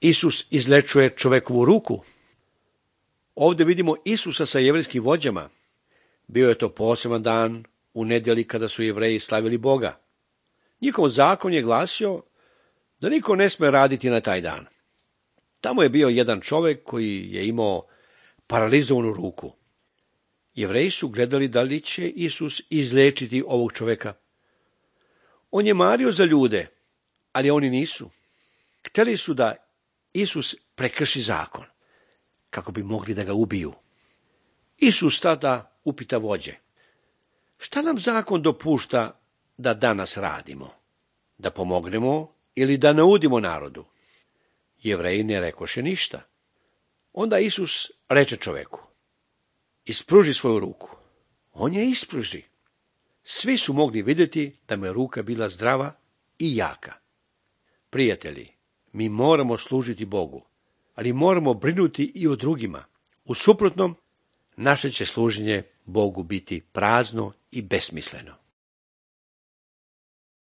Isus izlečuje čovekovu ruku. Ovdje vidimo Isusa sa jevrejskim vođama. Bio je to poseban dan u nedjelji kada su Jevreji slavili Boga. Njihov zakon je glasio da niko ne sme raditi na taj dan. Tamo je bio jedan čovjek koji je imao paralizovanu ruku. Jevreji su gledali da li će Isus izlečiti ovog čovjeka. On je mario za ljude, ali oni nisu. Htjeli su da Isus prekrši zakon, kako bi mogli da ga ubiju. Isus tada upita vođe: šta nam zakon dopušta da danas radimo? Da pomognemo ili da naudimo narodu? Jevreji ne rekoše ništa. Onda Isus reče čoveku: ispruži svoju ruku. On je ispruži. Svi su mogli vidjeti da mu je ruka bila zdrava i jaka. Prijatelji, mi moramo služiti Bogu, ali moramo brinuti i o drugima. U suprotnom, naše će služenje Bogu biti prazno i besmisleno.